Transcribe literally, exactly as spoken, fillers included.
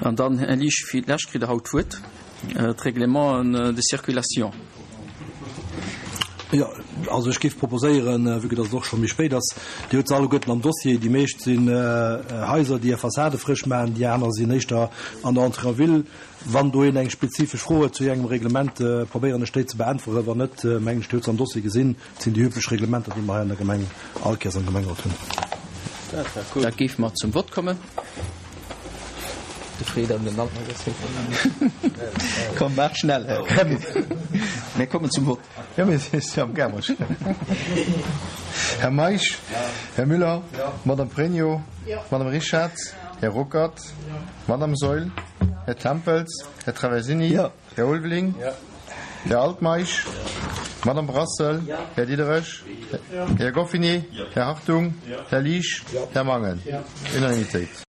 An dann, Här Liesch, fir d'lescht kritt Der haut d'Wuert, d'Règlements de circulation. Jo, also ech géif proposéieren, vue que dass et och scho méi spéit ass, Dir hutt se alleguerten am Dossier, déi meescht sinn Haiser, déi hir Fassade frësch maachen, déi aner sinn éischter an der Entrée en ville. Wann do een eng spezifesch Fro huet zu engem Reglement, probéieren ech déi ze beäntweren. Wann net, mengen ech, Dir hutt se am Dossier gesinn, et sinn déi üblech Reglementer, déi mer hei an der Gemeng all Kéiers am Gemengerot hunn. Da géife mer zum Vott kommen. De Fred an den Altmeier. Komm, maach schnell, Här. Mir kommen zum Vott. Jo, mir si am gaang. Här Meisch, Här Müller, Madame Pregno, Madame Richard, Här Ruckert, Madame Saeul, Här Tempels, Här Traversini, Här Ulveling, Här Altmeisch, Madame Brassel, Här Diderich, Här Goffinet, Här Hartung, Här Liesch, Här Mangen. Unanimitéit.